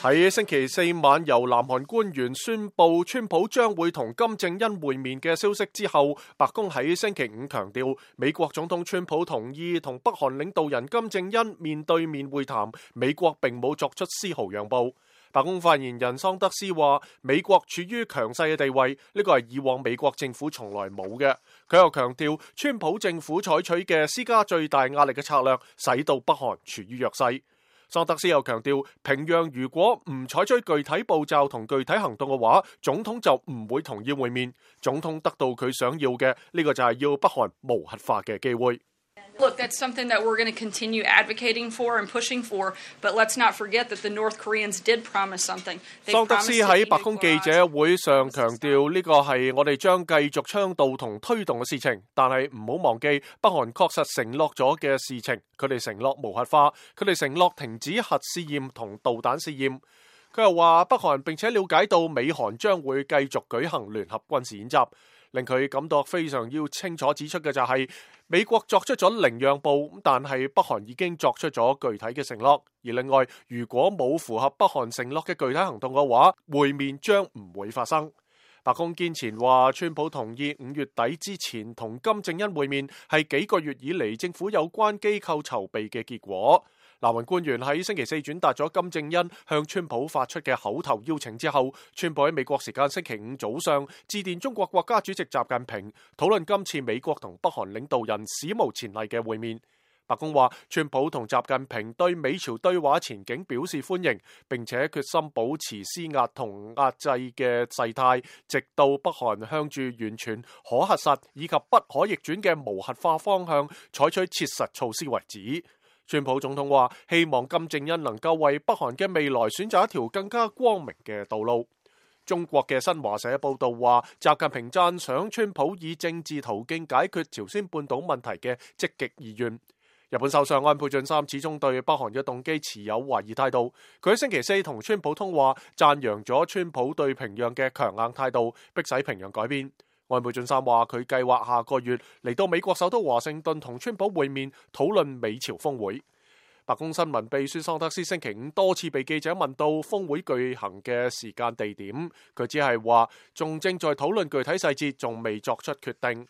喺星期四晚由南韓官員宣布川普將會同金正恩會面嘅消息之後，白宮喺星期五強調，美國總統川普同意同北韓領導人金正恩面對面會談，美國並冇作出絲毫讓步。白宮發言人桑德斯話，美國處於強勢嘅地位，呢個係以往美國政府從來冇嘅。佢又強調，川普政府採取嘅施加最大壓力嘅策略，使到北韓處於弱勢。桑德斯又強調，平壤如果唔採取具體步驟同具體行動嘅話，總統就唔會同意會面。總統得到佢想要嘅，呢個就係要北韓無核化嘅機會。Look, that's something that we're going to continue advocating for and pushing for, but let's not forget that the North Koreans did promise something. 桑德斯喺白宮記者會上強調，呢個係我哋將繼續倡導同推動嘅事情，但係唔好忘記北韓確實承諾咗嘅事情，佢哋承諾無核化，佢哋承諾停止核試驗同導彈試驗。佢又話北韓並且了解到美韓將會繼續舉行聯合軍事演習，令佢感到非常要清楚指出嘅就係，美國作出咗零讓步，但係北韓已經作出咗具體嘅承諾。而另外，如果冇符合北韓承諾嘅具體行動嘅話，會面將唔會發生。白宮堅持話，川普同意5月底之前同金正恩會面，係幾個月以嚟政府有關機構籌備嘅結果。南韓官員喺星期四轉達咗金正恩向川普發出嘅口頭邀請之後，川普喺美國時間星期五早上致電中國國家主席習近平，討論今次美國同北韓領導人史無前例嘅會面。白宮話，川普同習近平對美朝對話前景表示歡迎，並且決心保持施壓同壓制嘅勢態，直到北韓向住完全可核實以及不可逆轉嘅無核化方向採取切實措施為止。川普總統話，希望金正恩能夠為北韓嘅未來選擇一條更加光明嘅道路。中國嘅新華社報道話，習近平讚賞川普以政治途徑解決朝鮮半島問題嘅積極意願。日本首相安倍晉三始終對北韓嘅動機持有懷疑態度。佢喺星期四同川普通話，讚揚咗川普對平壤嘅強硬態度，迫使平壤改變。安倍晉三話，佢計劃下個月嚟到美國首都華盛頓同川普會面，討論美朝峰會。白宮新聞秘書桑德斯星期五多次被記者問到峰會舉行嘅時間地點，佢只係話仲正在討論具體細節，仲未作出決定。